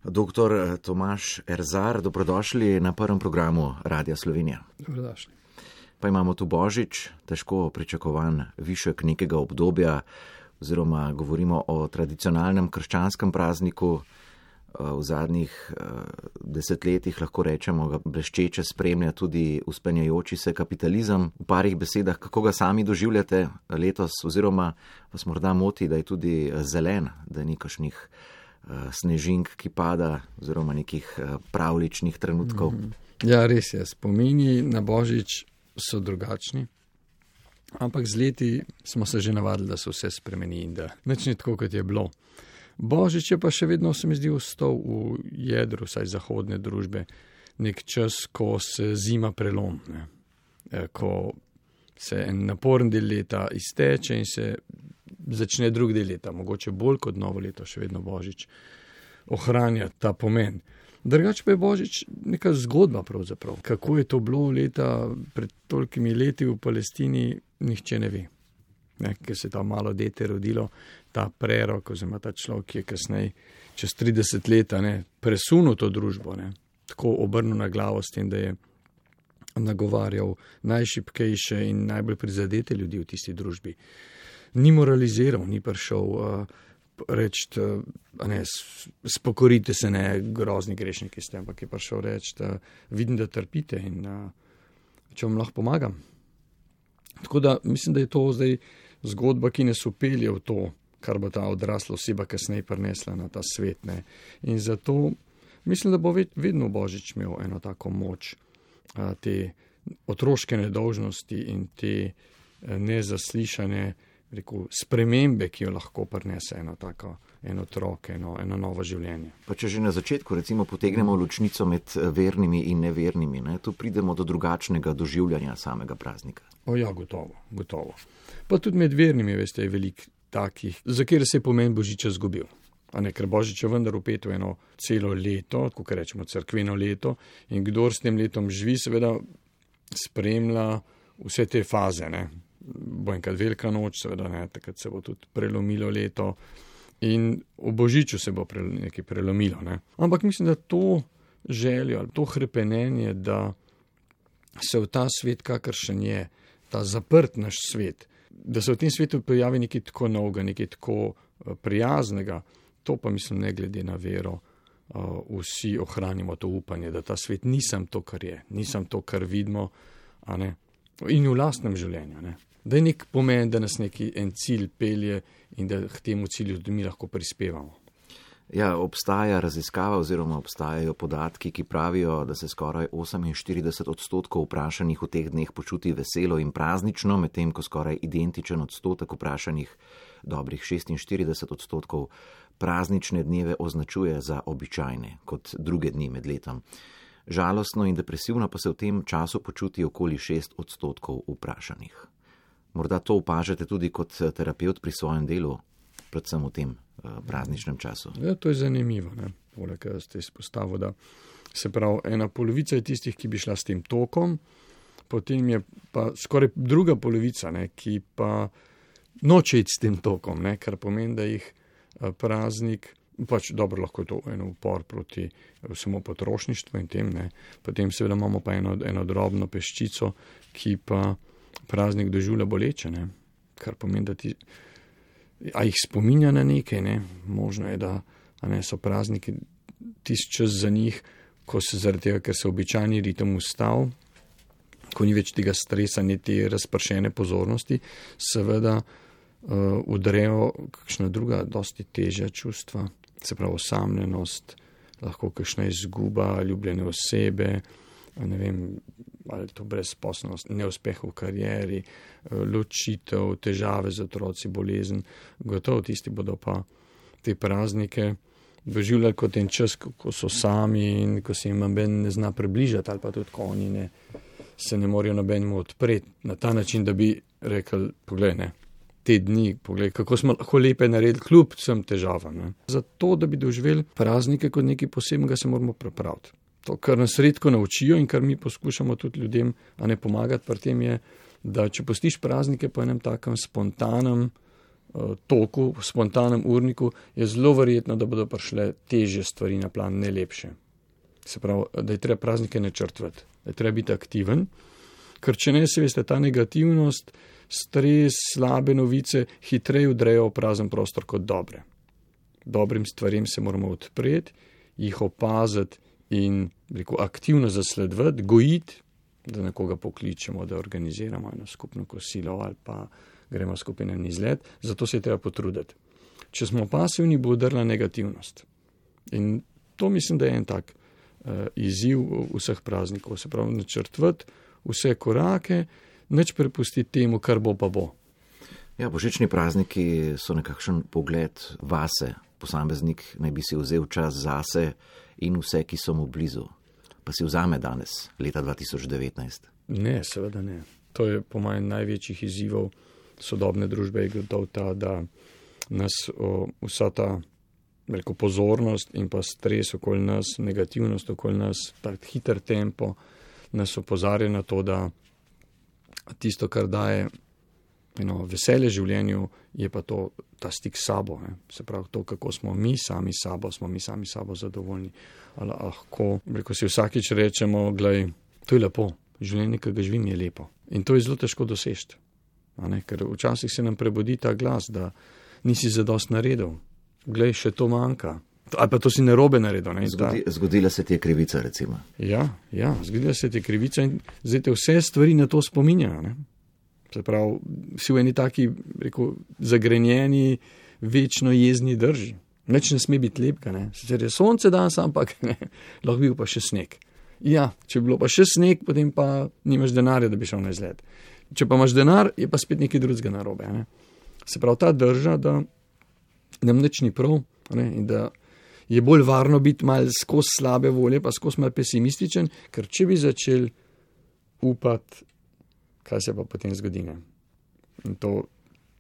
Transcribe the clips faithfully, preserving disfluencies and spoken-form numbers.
Doktor Tomaž Erzar, dobrodošli na prvem programu Radia Slovenija. Dobrodošli. Pa imamo tu Božič, težko pričakovan višek nekega obdobja, oziroma govorimo o tradicionalnem krščanskem prazniku. V zadnjih desetletjih lahko rečemo, ga bleščeče spremlja tudi vzpenjajoči se kapitalizem. V parih besedah, kako ga sami doživljate letos, oziroma vas morda moti, da je tudi zelen, da ni kakšnih snežink, ki pada, oziroma nekih pravličnih trenutkov. Ja, res je, spomini na Božič so drugačni, ampak z leti smo se že navadili, da se vse spremeni in da nič ni tako, kot je bilo. Božič je pa še vedno, se mi zdi, ostal v jedru, vsaj zahodne družbe, nek čas, ko se zima prelom, ne? Ko se en naporen del leta izteče in se začne drug del leta, mogoče bolj kot novo leto, še vedno Božič ohranja ta pomen. Drugače pa je Božič neka zgodba pravzaprav. Kako je to bilo leta pred tolikimi leti v Palestini, nihče ne ve. Ne, ker se je ta malo dete rodilo, ta prerok, oziroma ta človek, ki je kasneje čez trideset let presunil to družbo, ne, tako obrnil na glavo s tem, da je nagovarjal najšibkejše in najbolj prizadete ljudi v tisti družbi. Ni moraliziral, ni prišel uh, reči, uh, ne, spokorite se, ne, grozni grešniki ste, ampak je prišel reči, da vidim, da trpite in uh, če vam lahko pomagam. Tako da mislim, da je to zdaj zgodba, ki nas upelje v to, kar bo ta odrasla oseba kasneje prinesla na ta svet. Ne. In zato mislim, da bo vedno Božič imel eno tako moč, te otroške nedolžnosti in te nezaslišane, rekel, spremembe, ki jo lahko prinese eno tako, eno otrok, eno, eno novo življenje. Pa če že na začetku recimo potegnemo ločnico med vernimi in nevernimi, ne, tu pridemo do drugačnega doživljanja samega praznika. O ja, gotovo, gotovo. Pa tudi med vernimi, veste, je veliko takih, za kjer se je pomen Božiča zgubil. A ne, ker Božič je vendar vpet v eno celo leto, kako rečemo cerkveno leto, in kdor s tem letom živi, seveda spremlja vse te faze, ne. Bo enkrat velika noč, seveda ne, takrat se bo tudi prelomilo leto in v Božiču se bo pre, nekaj prelomilo. Ne. Ampak mislim, da to željo, to hrepenenje, da se v ta svet, kakršen je, ta zaprt naš svet, da se v tem svetu pojavi nekaj tako novega, nekaj tako prijaznega, to pa mislim, ne glede na vero, vsi ohranimo to upanje, da ta svet nisem to, kar je, nisem to, kar vidimo, a ne, in v lastnem življenju, ne. Da je nek pomen, da nas neki en cilj pelje in da k temu cilju tudi mi lahko prispevamo. Ja, obstaja raziskava oziroma obstajajo podatki, ki pravijo, da se skoraj oseminštirideset odstotkov vprašanih v teh dneh počuti veselo in praznično, medtem ko skoraj identičen odstotek vprašanih, dobrih šestinštirideset odstotkov, praznične dneve označuje za običajne, kot druge dni med letom. Žalostno in depresivno pa se v tem času počuti okoli šest odstotkov vprašanih. Morda to opažate tudi kot terapevt pri svojem delu, predvsem v tem prazničnem času. Ja, to je zanimivo, ne. Poleg tega ste izpostavili, da se pravi, ena polovica je tistih, ki bi šla s tem tokom, potem je pa skoraj druga polovica, ne, ki pa noče iti s tem tokom, ne, kar pomeni, da jih praznik, pač dobro, lahko je to eno upor proti samo potrošništvu in tem, ne. Potem seveda imamo pa eno, eno drobno peščico, ki pa praznik doživlja boleče, ne, kar pomeni, da ti a jih spominja na nekaj, ne, možno je, da a ne, so prazniki tisti čas za njih, ko se zaradi tega, ker se običajni ritem ustav, ko ni več tega stresa, ni te razpršene pozornosti, seveda uh, udrejo kakšna druga, dosti težja čustva, se pravi osamljenost, lahko kakšna izguba ljubljene osebe, ne vem, ali to brezposelnost, neuspeh v karieri, ločitev, težave z otroci, bolezen. Gotovo tisti bodo pa te praznike doživljali kot en čas, ko so sami in ko se jim noben ne zna približati, ali pa tudi ko oni ne, se ne morajo nobenemu odpreti na ta način, da bi rekli, poglej, ne, te dni, poglej, kako smo lahko lepe naredili kljub vsem težavam. Ne. Zato, da bi doživeli praznike kot nekaj posebnega, se moramo pripraviti. To, kar nas redko naučijo in kar mi poskušamo tudi ljudem, a ne pomagati pri tem je, da če pustiš praznike po enem takem spontanem toku, v spontanem urniku, je zelo verjetno, da bodo prišle težje stvari na plan, ne lepše. Se pravi, da je treba praznike načrtovati, da je treba biti aktiven, ker če ne, se veste, ta negativnost, stres, slabe novice hitreje vdrejo v prazen prostor kot dobre. Dobrim stvarem se moramo odpreti, jih opaziti in rekel, aktivno zasledovati, gojiti, da nekoga pokličemo, da organiziramo eno skupno kosilo ali pa gremo skupaj na izlet, zato se je treba potruditi. Če smo pasivni, bo udrla negativnost. In to mislim, da je en tak uh, izziv vseh praznikov, se pravi načrtovati vse korake, nič prepustiti temu, kar bo pa bo. Ja, božični prazniki so nekakšen pogled vase. Posameznik naj bi si vzel čas zase in vse, ki so mu blizu. Pa si vzame danes, leta dva tisoč devetnajst? Ne, seveda ne. To je po mojem največjih izzivov sodobne družbe, je gotovo ta, da nas o, vsa ta veliko pozornost in pa stres okoli nas, negativnost okoli nas, ta hiter tempo nas opozarja na to, da tisto, kar daje eno veselje življenju, je pa to ta stik s sabo. Ne. Se pravi, to, kako smo mi sami sabo, smo mi sami sabo zadovoljni. Ali lahko, rekel si vsakič rečemo, glej, to je lepo, življenje, ki ga živim, je lepo. In to je zelo težko doseči. Ker včasih se nam prebudi ta glas, da nisi zadost naredil. Glej, še to manjka. Ali pa to si narobe naredil. Ne? Zgodi, zgodila se ti je krivica, recimo. Ja, ja, zgodila se ti je krivica in zdaj te vse stvari na to spominjajo. Ne? Se pravi, si v eni taki, rekel, zagrenjeni, večno jezni drži. Nič ne sme biti lepka, ne. Sicer je sonce danes, ampak ne, lahko bil pa še sneg. Ja, če bi bilo pa še sneg, potem pa nimaš denarja, da bi šel na izlet. Če pa imaš denar, je pa spet nekaj drugega narobe. Ne. Se pravi, ta drža, da nam nič ni prav, ne, in da je bolj varno biti mal skozi slabe volje, pa skozi mal pesimističen, ker če bi začel upati, kaj se pa potem zgodi. Ne. In to,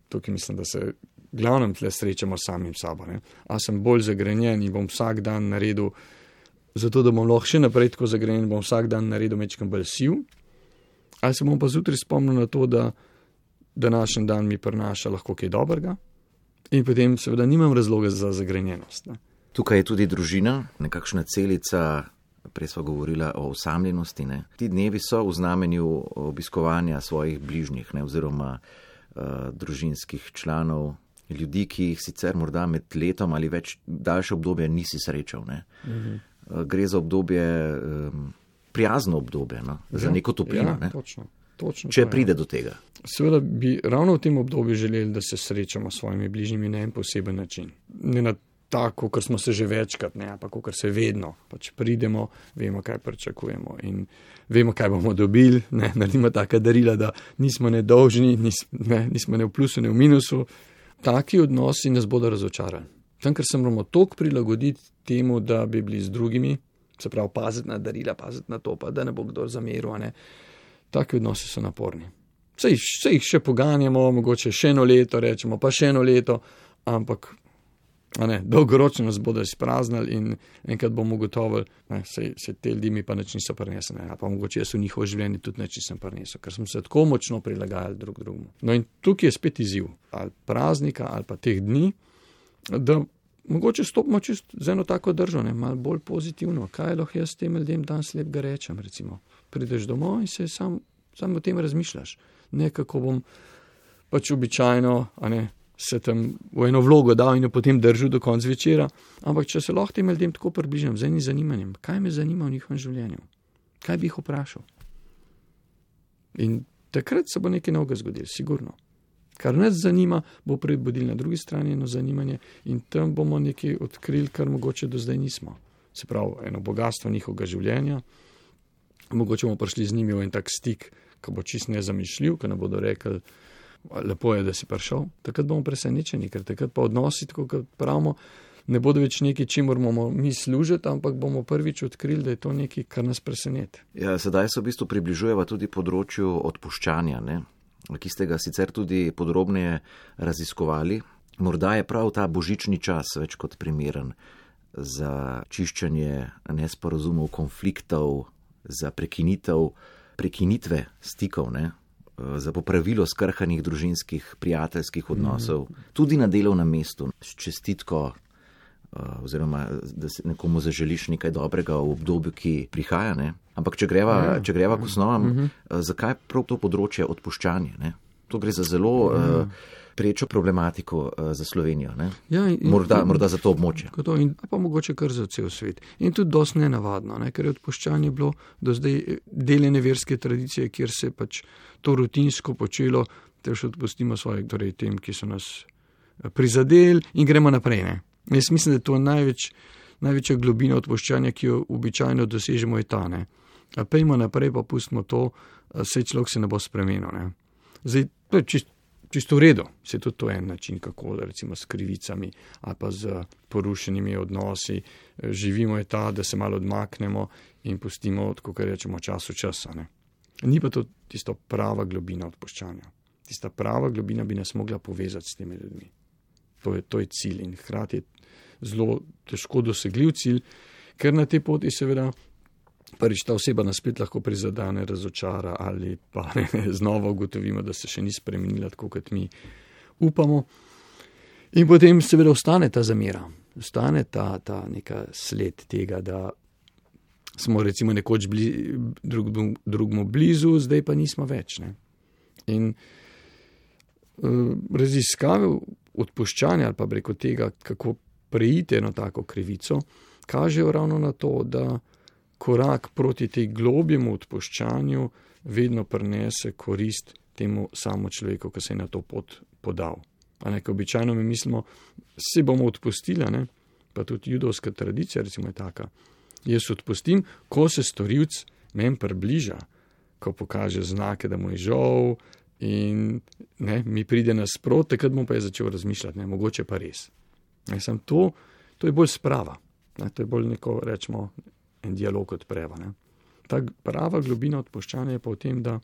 tukaj mislim, da se glavnem tle srečamo samim sabo. Ne. A sem bolj zagrenjen in bom vsak dan naredil, zato da bom lahko še naprej tako zagrenjen, bom vsak dan naredil mečkam bolj siv, ali se bom pa zjutraj spomnil na to, da današnji dan mi prinaša lahko kaj dobrega in potem seveda nimam razloga za zagrenjenost. Ne. Tukaj je tudi družina, nekakšna celica. Prej sva govorila o osamljenosti. Ne. Ti dnevi so v znamenju obiskovanja svojih bližnjih, ne, oziroma uh, družinskih članov, ljudi, ki jih sicer morda med letom ali več daljše obdobje nisi srečal. Ne. Mhm. Uh, gre za obdobje, um, prijazno obdobje, no, ja, za neko toplino. Ja, ne. Točno, točno Če to, pride ja. do tega. Seveda bi ravno v tem obdobju želeli, da se srečamo s svojimi bližnjimi na en poseben način. Ne na tako, kot smo se že večkrat, ne, pa kot se vedno. Pač pridemo, vemo, kaj pričakujemo in vemo, kaj bomo dobili, ne, naredimo taka darila, da nismo nedolžni, nis, ne, nismo ne v plusu, ne v minusu. Taki odnosi nas bodo razočarali. Tam, ker se moramo toliko prilagoditi temu, da bi bili z drugimi, se pravi, paziti na darila, paziti na to, pa da ne bo kdo zameril, ne. Taki odnosi so naporni. Sej, sej jih še poganjamo, mogoče še eno leto, rečemo, pa še eno leto, ampak a ne, dolgoročno nas bodo izpraznili in enkrat bomo ugotovili, ne, se, se te ljudi mi pa nič niso prinesli, ne, pa mogoče jaz v njihovo življenje tudi nič nisem prinesel, ker smo se tako močno prilagajali drug drugemu. No in tukaj je spet izziv, ali praznika, ali pa teh dni, da mogoče stopimo čisto z eno tako držo, ne, malo bolj pozitivno. Kaj lahko jaz tem ljudem danes lepega rečem, recimo. Prideš domov in se sam, sam o tem razmišljaš. Ne, kako bom pač običajno, a ne, se tam v eno vlogo dal in jo potem držal do konca večera, ampak če se lahko tem ljudem tako približam z enim zanimanjem, kaj me zanima v njihovem življenju, kaj bi jih vprašal. In takrat se bo nekaj novega zgodilo, sigurno. Kar nas zanima, bo prebudil na drugi strani eno zanimanje in tam bomo nekaj odkrili, kar mogoče do zdaj nismo. Se pravi, eno bogatstvo njihovega življenja, mogoče bomo prišli z njimi v en tak stik, ki bo čist nezamišljiv, ki ne bodo rekli, lepo je, da si prišel, takrat bomo presenečeni, ker takrat pa odnosi, tako kot pravimo, ne bodo več nekaj, čemu moramo mi služiti, ampak bomo prvič odkrili, da je to nekaj, kar nas preseneti. Ja, sedaj se v bistvu približujeva tudi področju odpuščanja, ne, ki ste ga sicer tudi podrobneje raziskovali. Morda je prav ta božični čas več kot primeren za čiščenje nesporazumov, konfliktov, za prekinitev, prekinitve stikov, ne. za popravilo skrhanih družinskih, prijateljskih odnosov, tudi na delovnem mestu, s čestitko, oziroma da se nekomu zaželiš nekaj dobrega v obdobju, ki prihaja. Ne? Ampak če greva, ja, če greva k osnovam, uh -huh. zakaj prav to področje odpuščanje? Ne? To gre za zelo ja. uh, prečo problematiko uh, za Slovenijo. Ne? Ja, in, morda, in, morda za to območje. To, in pa mogoče kar za cel svet. In tudi dosti nenavadno, ne? Ker je odpuščanje bilo do zdaj deljene verske tradicije, kjer se pač to rutinsko počelo, te še odpustimo svoje, torej tem, ki so nas prizadeli in gremo naprej. Ne? Jaz mislim, da je to največ, največja globina odpuščanja, ki jo običajno dosežemo, je ta. Ne? A pejmo naprej, pa pustimo to, saj človek se ne bo spremenil. Ne? Zdaj, to je čist, čisto v redu, se tudi to en način, kako recimo s krivicami ali pa z porušenimi odnosi živimo, je ta, da se malo odmaknemo in pustimo, tako kar rečemo, času časa. Ne? Ni pa to tisto prava globina odpuščanja. Tista prava globina bi nas mogla povezati s temi ljudmi. To je, to je cilj in hkrati je zelo težko dosegljiv cilj, ker na tej poti seveda prvič ta oseba nas spet lahko prizadane, razočara ali pa ne, znova ugotovimo, da se še ni spremenila tako, kot mi upamo. In potem seveda ostane ta zamera, ostane ta, ta neka sled tega, da smo recimo nekoč bili drug, drugmu blizu, zdaj pa nismo več. Ne? In uh, raziskave odpuščanja ali pa preko tega, kako preiti eno tako krivico, kažejo ravno na to, da korak proti tej globjemu odpuščanju vedno prinese korist temu samo človeku, ki se je na to pot podal. A nekaj običajno mi mislimo, se bomo odpustili, ne? Pa tudi judovska tradicija recimo je taka. Jaz odpustim, ko se storilc meni približa, ko pokaže znake, da mu je žal in ne, mi pride nasprot, takrat bom pa je začel razmišljati, ne, mogoče pa res. Ne, sem to, to je bolj sprava, ne, to je bolj neko, rečemo, en dialog odpreva. Ne. Ta prava globina odpuščanja je pa v tem, da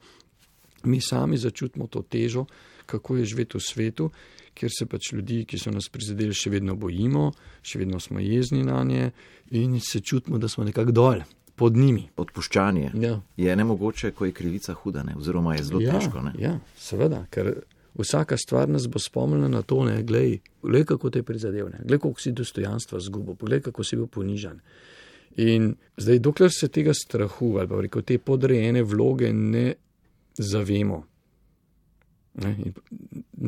mi sami začutimo to težo, kako je živeti v svetu, kjer se pač ljudi, ki so nas prizadeli, še vedno bojimo, še vedno smo jezni na nje in se čutimo, da smo nekako dol, pod njimi. Odpuščanje ja. je nemogoče, ko je krivica huda, ne? Oziroma je zelo ja, težko. Ne? Ja, seveda, ker vsaka stvar nas bo spomnila na to, ne, glej, glej, kako te je prizadel, ne, glej, koliko si dostojanstva zgubil, glej, kako si bil ponižan. In zdaj, dokler se tega strahu ali pa rekel, te podrejene vloge ne zavemo, ne, in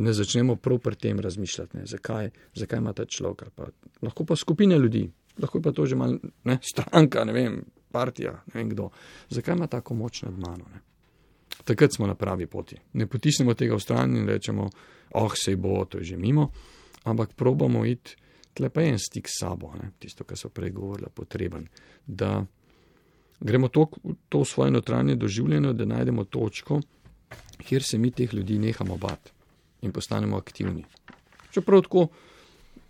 ne začnemo prav pri tem razmišljati, ne, zakaj, zakaj ima ta človek, ali pa lahko pa skupina ljudi, lahko pa to že malo, ne, stranka, ne vem, partija, ne vem kdo, zakaj ima tako moč nad mano, ne. Takrat smo na pravi poti. Ne potisnemo tega v stran in rečemo, oh, sej bo, to je že mimo, ampak probamo iti, tle pa en stik s sabo, ne, tisto, kar so prej govorila, potreben, da gremo to, to svoje notranje doživljeno, da najdemo točko, kjer se mi teh ljudi nehamo bati in postanemo aktivni. Čeprav tako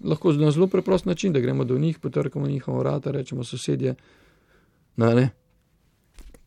lahko na zelo preprost način, da gremo do njih, potrkamo njihovo vrata, rečemo sosedje, na ne,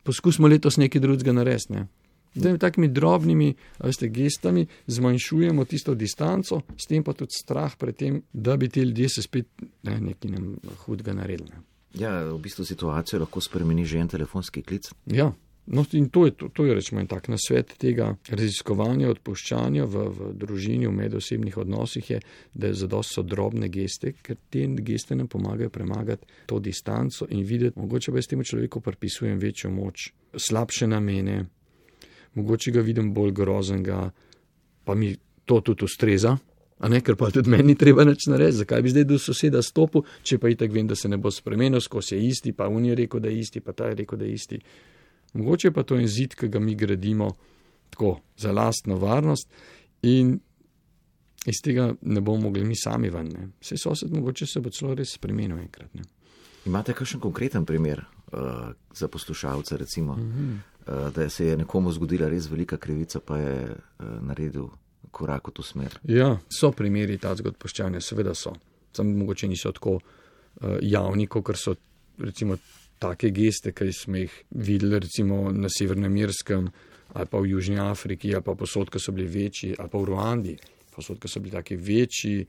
poskusimo letos nekaj drugega narediti, ne. Da takimi drobnimi, veste, gestami zmanjšujemo tisto distanco, s tem pa tudi strah pred tem, da bi ti ljudje se spet ne, nekaj nam hudega naredili. Ne. Ja, v bistvu situacijo lahko spremeni že en telefonski klic. Ja, no in to je, to, to je rečemo en tak nasvet tega raziskovanja, odpuščanja v, v družini, v medosebnih odnosih je, da je zadost so drobne geste, ker te geste nam pomagajo premagati to distanco in videti, mogoče pa jaz temu človeku pripisujem večjo moč, slabše namene, mogoče ga vidim bolj groznega, pa mi to tudi ustreza, a ne, ker pa tudi meni treba nič narediti, zakaj bi zdaj do soseda stopil, če pa itak vem, da se ne bo spremenil, skozi je isti, pa on je rekel, da je isti, pa ta je rekel, da je isti. Mogoče pa to je zid, ki ga mi gradimo tako za lastno varnost in iz tega ne bomo mogli mi sami ven. Ne. Vse sosed mogoče se bo celo res spremenil enkrat. Ne. Imate kakšen konkreten primer uh, za poslušalce, recimo, mm-hmm. uh, da se je nekomu zgodila res velika krivica, pa je uh, naredil korak v to smer? Ja, so primeri tazga odpuščanja, seveda so. Samo mogoče niso tako uh, javni, kot so recimo take geste, ki smo jih videli recimo na Severnem Irskem ali pa v Južni Afriki ali pa posod, ki so bili večji, ali pa v Ruandi, posod, ki so bili taki večji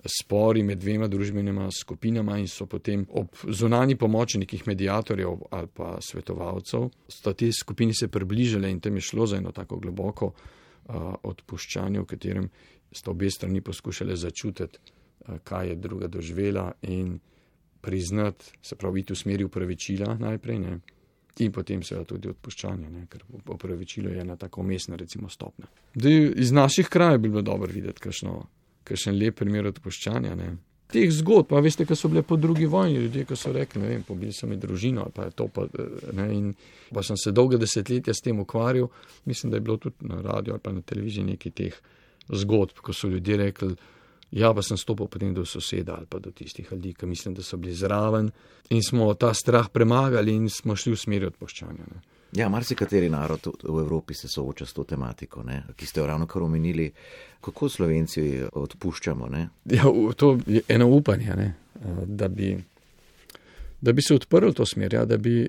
spori med dvema družbenima skupinama in so potem ob zunanji pomoči nekih mediatorjev ali pa svetovalcev, sta te skupini se približale in tam je šlo za eno tako globoko uh, odpuščanje, v katerem sta obe strani poskušale začutiti, uh, kaj je druga doživela in priznati, se pravi, iti v smeri upravičila najprej, ne, in potem seveda tudi odpuščanje, ne, ker upravičilo je ena tako umestna, recimo, stopnja. Dej, iz naših krajev bi bilo dobro videti kakšno kakšen lep primer odpuščanja, ne. Teh zgodb, pa veste, ko so bile po drugi vojni, ljudje, ko so rekli, ne vem, pobili so mi družino, ali pa je to pa, ne, in pa sem se dolga desetletja s tem ukvarjal, mislim, da je bilo tudi na radiju ali pa na televiziji nekaj teh zgodb, ko so ljudje rekli, ja, pa sem stopil potem do soseda ali pa do tistih ljudi, ki mislim, da so bili zraven in smo ta strah premagali in smo šli v smeri odpuščanja, ne. Ja, marsikateri narod v Evropi se sooča s to tematiko, ne, ki ste jo ravno kar omenili. Kako Slovenci odpuščamo, ne? Ja, to je eno upanje, ne, da bi, da bi se odprl to smer, ja, da bi,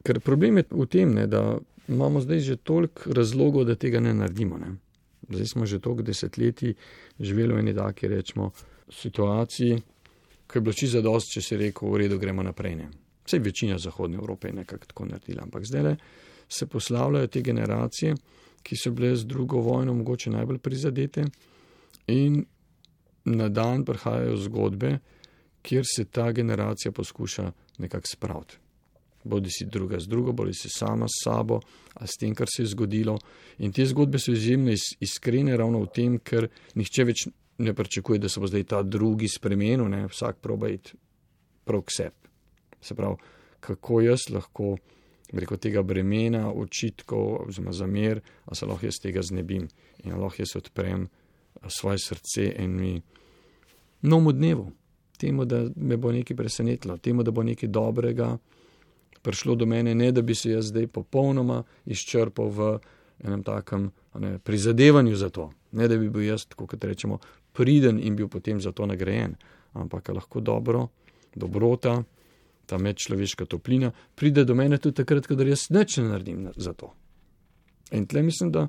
ker problem je v tem, ne, da imamo zdaj že toliko razlogov, da tega ne naredimo, ne. Zdaj smo že toliko desetletij živeli v eni taki, rečemo, situaciji, ko je bilo čisto zadosti, če si rekel, v redu, gremo naprej, ne. Vsej večina zahodne Evrope je nekako tako naredila, ampak zdaj se poslavljajo te generacije, ki so bile z drugo vojno mogoče najbolj prizadete in na dan prihajajo zgodbe, kjer se ta generacija poskuša nekako spraviti. Bodi si druga z drugo, bodi si sama s sabo, ali s tem, kar se je zgodilo. In te zgodbe so izjemno iskrene ravno v tem, ker nihče več ne pričakuje, da se bo zdaj ta drugi spremenil, ne, vsak proba iti prav k sebi. Se pravi, kako jaz lahko preko tega bremena, očitkov, oziroma zamer, a se lahko jaz tega znebim in lahko jaz odprem svoje srce enemu novemu dnevu, temu, da me bo nekaj presenetilo, temu, da bo nekaj dobrega prišlo do mene, ne da bi se jaz zdaj popolnoma izčrpal v enem takem ne, prizadevanju za to, ne da bi bil jaz, tako kot rečemo, priden in bil potem za to nagrajen, ampak lahko dobro, dobrota, ta medčloveška toplina, pride do mene tudi takrat, kadar jaz nič ne naredim za to. In tle mislim, da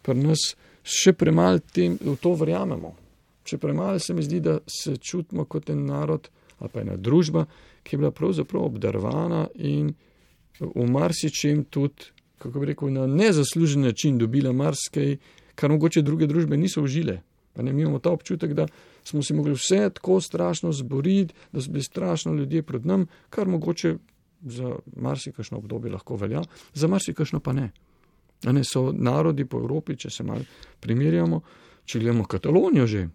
pri nas še premalo v to verjamemo. Še premalo se mi zdi, da se čutimo kot en narod ali pa ena družba, ki je bila pravzaprav obdarovana in v marsičem tudi, kako bi rekel, na nezaslužen način dobila marsikaj, kar mogoče druge družbe niso užile. Pa ne, mi imamo ta občutek, da smo si mogli vse tako strašno zboriti, da so bili strašno ljudje pred nam, kar mogoče za marsikakšno obdobje lahko velja, za marsikakšno pa ne. A ne, so narodi po Evropi, če se malo primerjamo, če gledamo Katalonijo že,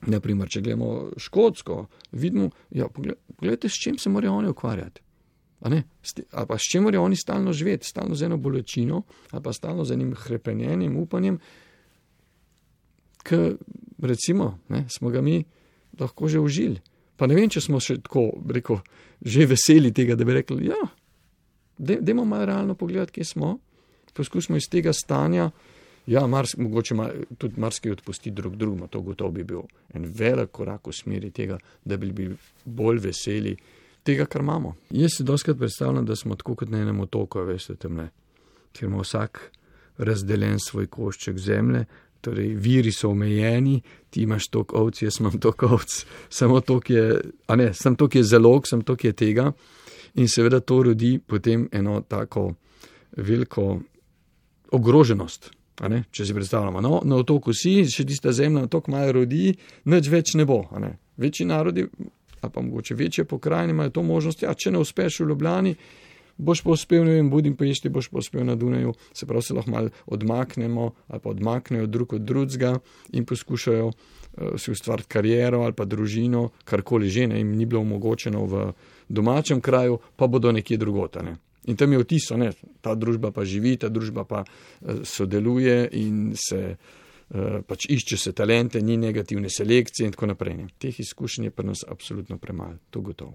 naprimer, če gledamo Škotsko, vidimo, ja, pogledajte, s čim se morajo oni ukvarjati. A ne, ali pa s čim morajo oni stalno živeti, stalno z eno bolečino, ali pa stalno z enim hrepenjenjem, upanjem, ker recimo, ne, smo ga mi lahko že užili. Pa ne vem, če smo še tako, rekel, že veseli tega, da bi rekli, ja, dajmo malo realno pogledati, kje smo, poskusimo iz tega stanja, ja, mars, mogoče ma, tudi marsikaj odpusti drug drugima, to gotovo bi bil en velik korak v smeri tega, da bi bili bolj veseli tega, kar imamo. Jaz si doskrat predstavljam, da smo tako kot na enem otoku, veste, temle, kjer ima vsak razdeljen svoj košček zemlje, torej viri so omejeni, ti imaš toliko ovc, jaz imam toliko ovc, samo toliko je, a ne, samo toliko je zalog, samo toliko je tega in seveda to rodi potem eno tako veliko ogroženost, a ne, če si predstavljamo, no, na otoku si, še tista zemlja na toliko malo rodi, nič več ne bo, a ne, večji narodi, a pa mogoče večje pokrajine imajo to možnost, ja, če ne uspeš v Ljubljani, boš pa uspel, ne vem, Budimpešti, boš pa uspel na Dunaju, se pravi se lahko malo odmaknemo ali pa odmaknejo drug od drugega in poskušajo uh, si ustvariti kariero ali pa družino, karkoli že, ne, jim ni bilo omogočeno v domačem kraju, pa bodo nekje drugota, ne. In tam je vtis, ne, ta družba pa živi, ta družba pa uh, sodeluje in se uh, pač išče se talente, ni negativne selekcije in tako naprej, ne. Teh izkušenj je pri nas absolutno premalo, to gotovo.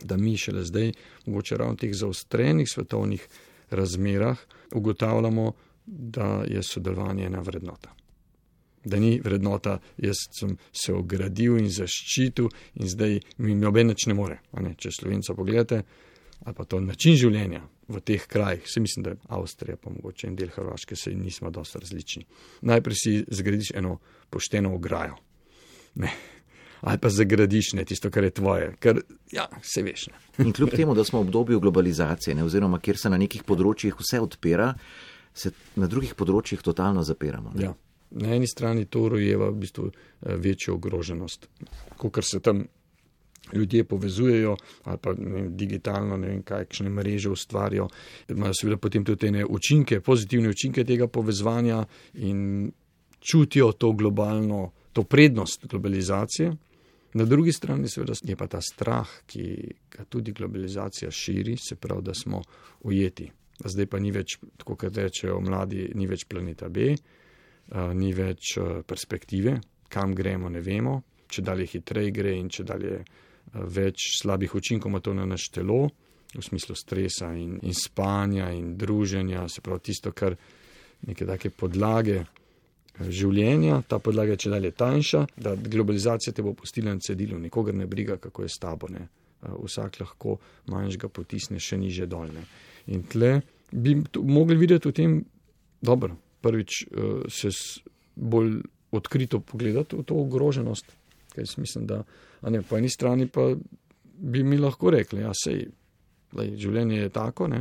Da mi šele zdaj, mogoče ravno v teh zaostrenih svetovnih razmerah, ugotavljamo, da je sodelovanje ena vrednota. Da ni vrednota, jaz sem se ogradil in zaščitil in zdaj mi noben nič ne more. A ne, če Slovenca pogledate, ali pa to način življenja v teh krajih, se mislim, da Avstrija pa mogoče en del Hrvaške, se nismo dosti različni. Najprej si zgradiš eno pošteno ograjo. Ne. ali pa zagradiš, ne, tisto, kar je tvoje, ker, ja, se veš. Ne. In kljub temu, da smo v obdobju globalizacije, ne, oziroma kjer se na nekih področjih vse odpira, se na drugih področjih totalno zapiramo. Ne. Ja. Na eni strani to rojeva v bistvu večjo ogroženost, kakor se tam ljudje povezujejo ali pa ne vem, digitalno, ne vem, kakšne mreže ustvarijo. Imajo seveda potem tudi te učinke, pozitivne učinke tega povezovanja in čutijo to globalno, to prednost globalizacije. Na drugi strani seveda je pa ta strah, ki ga tudi globalizacija širi, se pravi, da smo ujeti. Zdaj pa ni več, tako kot rečejo mladi, ni več planeta B, ni več perspektive, kam gremo, ne vemo, če dalje hitreje gre in če dalje več slabih učinkov ima to na naš telo, v smislu stresa in, in spanja in druženja, se pravi tisto, kar neke take podlage življenja, ta podlaga je če dalje tanjša, da globalizacija te bo pustila na cedilu, nikogar ne briga, kako je s tabo, ne. Vsak lahko manjšega potisne še niže dolne. In tle bi mogli videti v tem, dobro, prvič se bolj odkrito pogledati v to ogroženost, ker mislim, da a ne, po eni strani pa bi mi lahko rekli, ja, sej, lej, življenje je tako, ne,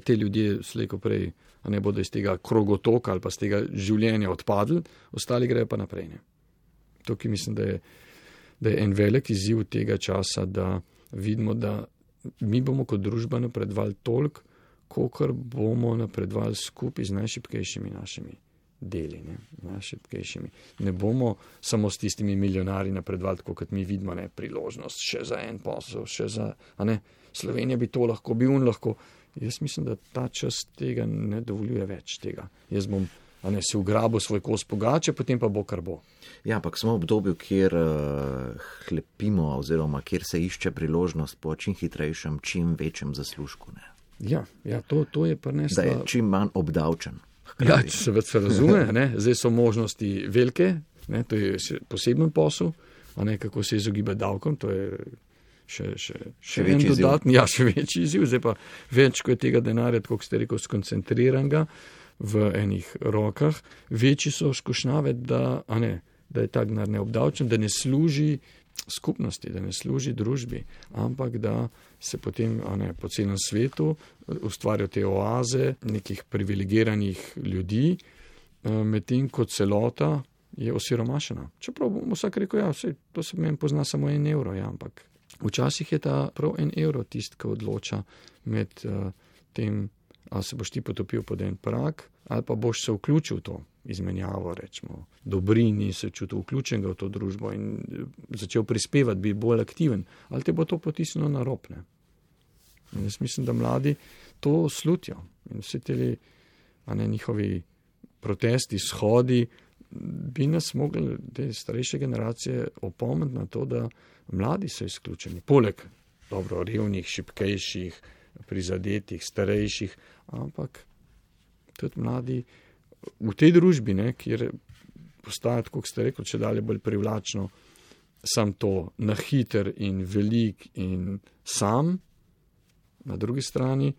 te ljudje slejko prej, a ne bodo iz tega krogotoka ali pa z tega življenja odpadli, ostali grejo pa naprej, ne. Tukaj mislim, da je, da je en velik izziv tega časa, da vidimo, da mi bomo kot družba napredovali toliko, kolikor bomo napredovali skupaj z najšibkejšimi našimi deli, ne, najšibkejšimi. Ne bomo samo s tistimi milijonarji napredovali, tako kot mi vidimo, ne, priložnost še za en posel, še za, a ne, Slovenija bi to lahko, bi un lahko. Jaz mislim, da ta čas tega ne dovoljuje več tega. Jaz bom, a ne, si ugrabil svoj kos pogače, potem pa bo, kar bo. Ja, ampak smo v obdobju, kjer uh, hlepimo oziroma kjer se išče priložnost po čim hitrejšem, čim večjem zaslužku, ne. Ja, ja, to, to je prineslo. Da je čim manj obdavčen. Ja, če se, se razume, ne, zdaj so možnosti velike, ne, to je poseben posel, a ne, kako se izogibati davkom, to je še, še, še, še en dodatni, ja, še večji izziv, zdaj pa več, ko je tega denarja, tako ste rekel, skoncentriranega v enih rokah, večji so skušnjave, da, a ne, da je ta denar neobdavčen, da ne služi skupnosti, da ne služi družbi, ampak da se potem, a ne, po celem svetu ustvarjajo te oaze nekih privilegiranih ljudi, medtem kot celota je osiromašena. Čeprav bomo vsak rekel, ja, vse, to se meni pozna samo en evro, ja, ampak včasih je ta prav en evro tist, ki odloča med uh, tem, ali se boš ti potopil pod en prak, ali pa boš se vključil v to izmenjavo, rečemo, dobrini, se čutil vključenega v to družbo in začel prispevati, biti bolj aktiven, ali te bo to potisnilo na rob, ne. In jaz mislim, da mladi to slutijo in vsi teli, a ne, njihovi protesti, shodi, bi nas mogli, te starejše generacije, opomniti na to, da mladi so izključeni. Poleg, dobro, revnih, šibkejših, prizadetih, starejših, ampak tudi mladi v tej družbi, ne, kjer postaja, kot ste rekli, če dalje bolj privlačno, sam to na hiter in velik in sam, na drugi strani,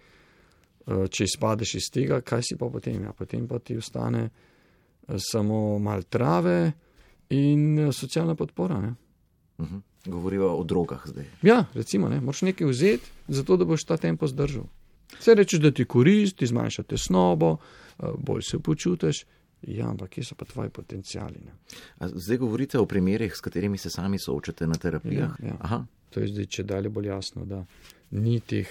če izpadeš iz tega, kaj si pa potem? Ja, potem pa ti ostane samo mal trave in socialna podpora, ne. Uh-huh. Govoriva o drogah zdaj. Ja, recimo, ne, moraš nekaj vzeti, zato da boš ta tempo zdržal. Se rečeš, da ti korist, ti zmanjša tesnobo, bolj se počutiš, ja, ampak kje so pa tvoji potenciali, ne. A zdaj govorite o primerih, s katerimi se sami soočate na terapijah? Ja, ja. Aha. To je zdaj če dalje bolj jasno, da ni teh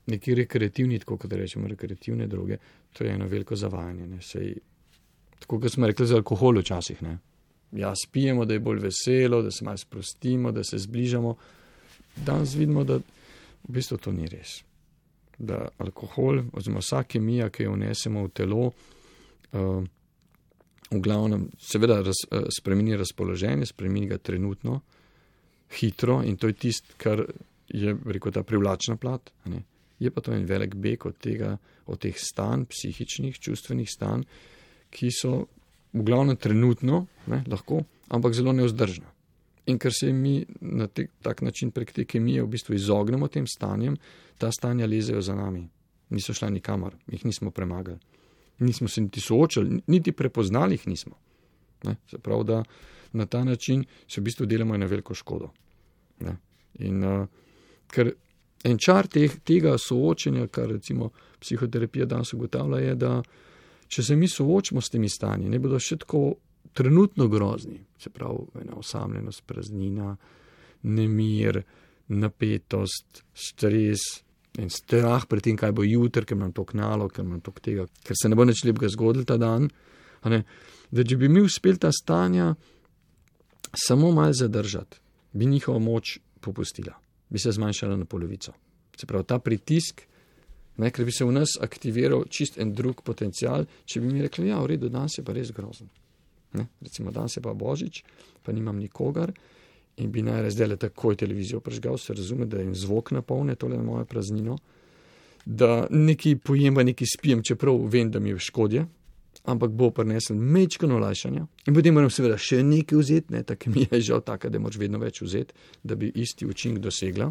neki rekreativni, tako kot rečemo, rekreativne droge, to je eno veliko zavajanje, ne, sej, tako kot smo rekli za alkohol včasih, ne. Ja, spijemo, da je bolj veselo, da se malo sprostimo, da se zbližamo. Danes vidimo, da v bistvu to ni res. Da alkohol, oziroma vsa kemija, ki jo vnesemo v telo, uh, v glavnem seveda raz, uh, spremeni razpoloženje, spremeni ga trenutno, hitro in to je tist, kar je, rekel, ta privlačna plat. Ne? Je pa to en velik beg od tega, od teh stanj, psihičnih, čustvenih stanj, ki so v glavnem trenutno, ne, lahko, ampak zelo nevzdržna. In ker se mi na te, tak način prek te kemije v bistvu izognemo tem stanjem, ta stanja lezejo za nami. Niso šla nikamor, jih nismo premagali. Nismo se niti soočali, niti prepoznali jih nismo. Ne? Se pravi, da na ta način se v bistvu delamo eno veliko škodo. Ne? In uh, ker en čar teh, tega soočenja, kar recimo psihoterapija danes ugotavlja, je, da če se mi soočimo s temi stanji, ne bodo še tako trenutno grozni, se pravi, ena osamljenost, praznina, nemir, napetost, stres in strah pred tem, kaj bo jutri, ker imam toliko nalog, ker imam toliko tega, ker se ne bo nič lepega zgodilo ta dan, a ne, da če bi mi uspeli ta stanja samo malo zadržati, bi njihova moč popustila, bi se zmanjšala na polovico. Se pravi, ta pritisk, ne, ker bi se v nas aktiviral čist en drug potencial, če bi mi rekli, ja, v redu, danes je pa res grozen. Ne, recimo, danes je pa Božič, pa nimam nikogar in bi najraje zdaj le takoj televizijo prežgal, se razume, da jim zvok napolne tole na mojo praznino, da nekaj pojem, pa nekaj spijem, čeprav vem, da mi je škodje, ampak bo prinesel mečkano olajšanja. In potem moram seveda še nekaj vzeti, ne, tako mi je žal taka, da moraš vedno več vzeti, da bi isti učinek dosegla.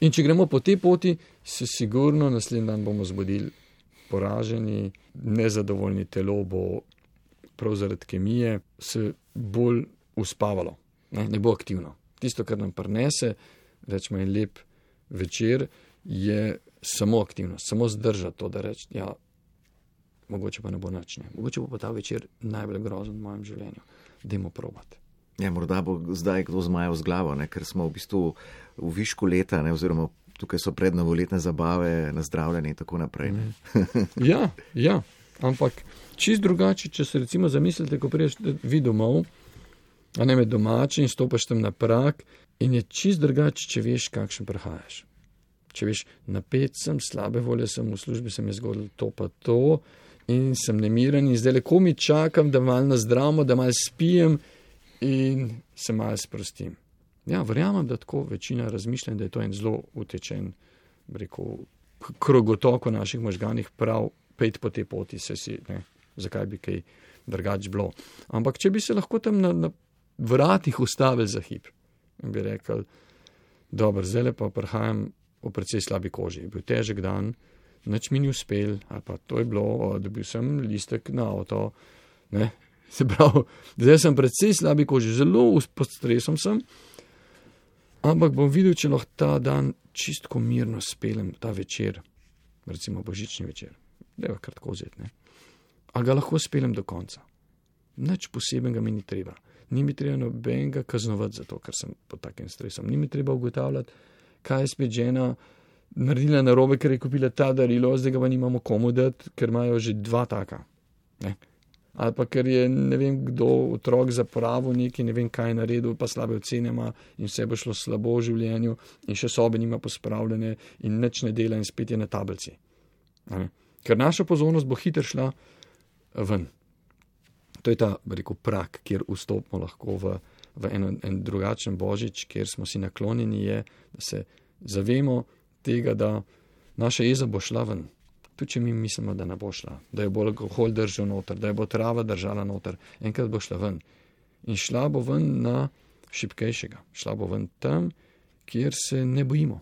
In če gremo po tej poti, se sigurno naslednji dan bomo zbudili poraženi, nezadovoljni, telo bo prav zaradi kemije se bolj uspavalo, ne, ne bo aktivno. Tisto, kar nam prinese, rečemo en lep večer, je samo aktivnost, samo zdržati to, da reči, ja, mogoče pa ne bo nič, ne. Mogoče bo pa ta večer najbolj grozen v mojem življenju. Dajmo probati. Ja, morda bo zdaj kdo zmajal z glavo, ne, ker smo v bistvu v višku leta, ne, oziroma tukaj so prednovoletne zabave, nazdravljanje in tako naprej. Ja, ja, ampak čist drugače, če se recimo zamislite, ko priješ vi domov, a ne med domači in stopaš tam na prag in je čist drugače, če veš, kakšen prihajaš. Če veš, napet sem, slabe volje sem, v službi se mi je zgodilo to pa to in sem nemiren in zdaj leko mi čakam, da malo nazdravimo, da malo spijem in se malo sprostim. Ja, verjamem, da tako večina razmišlja, da je to en zelo utečen, rekel, krogotok v naših možganih, prav pet po tej poti se si, ne, zakaj bi kaj drugač bilo. Ampak če bi se lahko tam na, na vratih ustavili za hip in bi rekel, dobro, zdaj pa prihajam v precej slabi koži, bil težek dan, nič mi ni uspel, ali pa to je bilo, dobil sem listek na avto, ne, se pravi, zdaj sem precej slabi koži, zelo pod stresom sem, ampak bom videl, če lahko ta dan čistko mirno spelem, ta večer, recimo božični večer, da je kratko vzeti, ne, a ga lahko spelem do konca. Nič posebnega mi ni treba. Ni mi treba nobenega kaznovati za to, ker sem pod takim stresom. Ni mi treba ugotavljati, kaj je spet žena naredila narobe, ker je kupila ta darilo, zdaj ga pa nimamo komu dati, ker imajo že dva taka. Ne? Ali pa ker je ne vem kdo otrok zapravil nekaj, ne vem kaj naredil, pa slabe ocene ima in vse bo šlo slabo v življenju in še sobe nima pospravljene in nič ne dela in spet je na tablici. Ne? Ker naša pozornost bo hitro šla ven. To je ta, rekel, prak, kjer vstopimo lahko v, v en, en drugačen božič, kjer smo si naklonjeni, je, da se zavemo tega, da naša jeza bo šla ven. Tudi če mi mislimo, da ne bo šla, da jo bo alkohol držal noter, da jo bo trava držala noter, enkrat bo šla ven. In šla bo ven na šibkejšega. Šla bo ven tam, kjer se ne bojimo.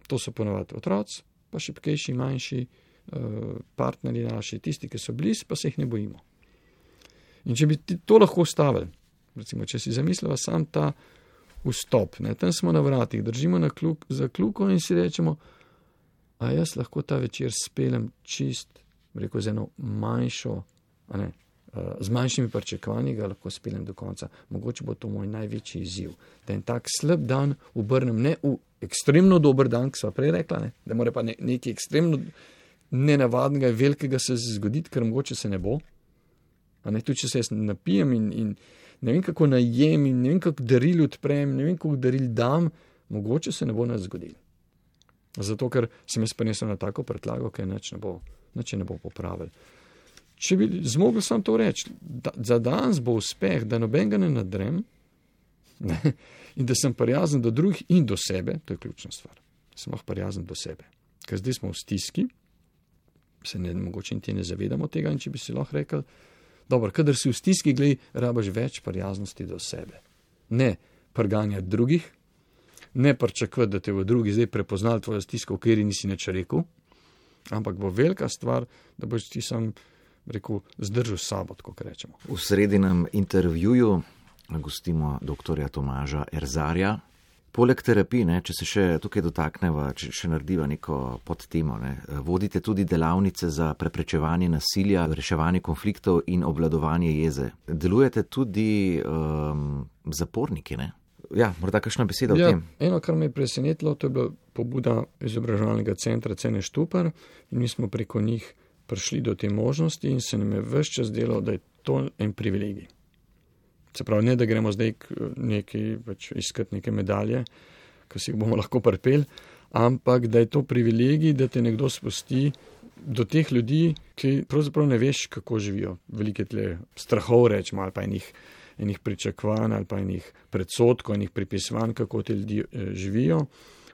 To so ponovadi otroci, pa šibkejši, manjši, partnerji naši, tisti, ki so blizu, pa se jih ne bojimo. In če bi to lahko ustavili, recimo, če si zamislila sam ta vstop, ne, tam smo na vratih, držimo na kluk, za kluko in si rečemo, a jaz lahko ta večer spelem čist, rekel, z eno manjšo, a ne, z manjšimi pričakovanji ga lahko spelem do konca. Mogoče bo to moj največji izziv, da en tak slab dan obrnem ne v ekstremno dober dan, ki sva prej rekla, ne, da mora pa ne, nekaj ekstremno nenavadnega, velikega se zgoditi, ker mogoče se ne bo. A ne, tudi če se jaz napijem in, in ne vem, kako najem in ne vem, kako daril odprem, ne vem, kako daril dam, mogoče se ne bo nas zgodil. Zato, ker sem jaz prinesel na tako pretlago, ker nič ne bo, nič ne bo popravil. Če bi zmogel sam to reči, da, za danes bo uspeh, da nobenega ne nadrem, ne, in da sem prijazen do drugih in do sebe, to je ključna stvar. Sem lahko prijazen do sebe. Ker zdaj smo v stiski, se ne, mogoče in ti ne zavedamo tega, in če bi si lahko rekel, dobro, kadar si v stiski, glej, rabaš več prijaznosti do sebe. Ne prganjati drugih, ne pričakovati, da te v drugi zdaj prepoznali tvojo stisko, v kateri nisi nič rekel, ampak bo velika stvar, da boš ti sam rekel, zdržal s sabo, tako rečemo. V sredinem intervjuju gostimo doktorja Tomaža Erzarja. Poleg terapij, ne, če se še tukaj dotakneva, če še narediva neko podtemo, ne, vodite tudi delavnice za preprečevanje nasilja, reševanje konfliktov in obvladovanje jeze. Delujete tudi um, zaporniki, ne? Ja, morda kakšna beseda ja, o tem? Eno, kar me je presenetilo, to je bila pobuda izobraževalnega centra Cene Štupar in mi smo preko njih prišli do te možnosti in se nam je ves čas delo, da je to en privilegij. Se pravi, ne da gremo zdaj nekaj, pač iskati neke medalje, ki si jih bomo lahko pripeli, ampak da je to privilegij, da te nekdo spusti do teh ljudi, ki pravzaprav ne veš, kako živijo. Velike tle strahov rečemo, ali pa enih, enih pričakovanj, ali pa enih predsotkov, enih pripisovanj, kako te ljudi eh, živijo.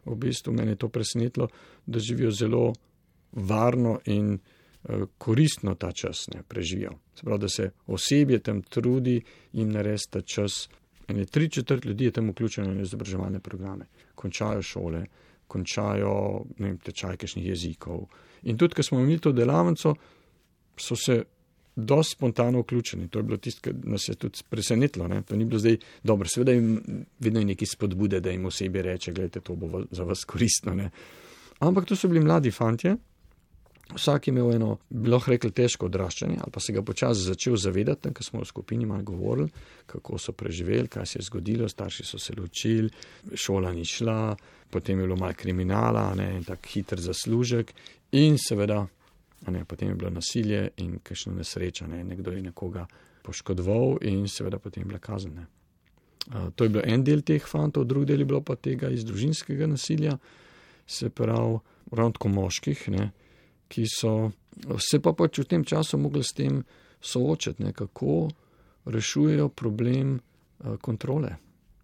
V bistvu mene je to presenetilo, da živijo zelo varno in koristno ta čas ne, preživijo. Se pravi, da se osebje tam trudi in naredi ta čas. Ene tri četrt ljudi je tam vključeno v izobraževalne programe. Končajo šole, končajo ne vem, tečaj kakšnih jezikov. In tudi, ko smo imeli to delavnico, so se dosti spontano vključeni. To je bilo tisto, kar nas je tudi presenetilo. Ne. To ni bilo zdaj dobro. Seveda jim vedno je neki spodbude, da jim osebje reče, gledajte, to bo za vas koristno. Ne. Ampak to so bili mladi fantje. Vsak je imel eno, bi lahko rekli, težko odraščanje, ali pa se ga počasi začel zavedati, ker smo v skupini malo govorili, kako so preživeli, kaj se je zgodilo, starši so se ločili, šola ni šla, potem je bilo malo kriminala, ne, en tak hiter zaslužek in seveda, ne, potem je bilo nasilje in kakšna nesreča, ne, nekdo je nekoga poškodoval in seveda potem je bila kazen. Ne. Uh, to je bil en del teh fantov, drug del je bilo pa tega iz družinskega nasilja, se pravi, ravno tako moških, ne, ki so se pa pač v tem času mogli s tem soočati, ne, kako rešujejo problem uh, kontrole.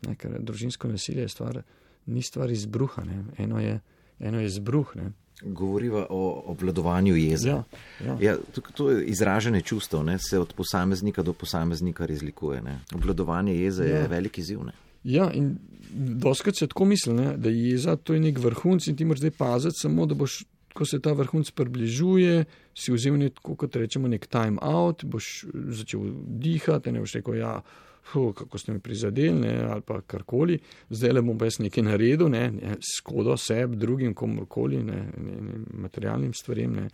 Ne, ker družinsko nasilje je stvar, ni stvar izbruha. Ne. Eno je, eno je izbruh. Ne. Govoriva o obvladovanju jeze. Ja, ja. Ja, to, to je izražanje čustev, ne, se od posameznika do posameznika razlikuje. Ne. Obvladovanje jeze ja. je velik izziv. Ne. Ja, in doskrat se tako misli, ne, da jeza to je nek vrhunc in ti moraš zdaj paziti samo, da boš, ko se ta vrhunc približuje, si vzel neko, kot rečemo, nek time out, boš začel dihati, ne boš rekel, ja, hu, kako ste me prizadeli, ne, ali pa karkoli, zdaj le bom pa jaz nekaj naredil, ne, ne, škodo sebi, drugim, komorkoli, ne, ne, ne, materialnim stvarem, ne.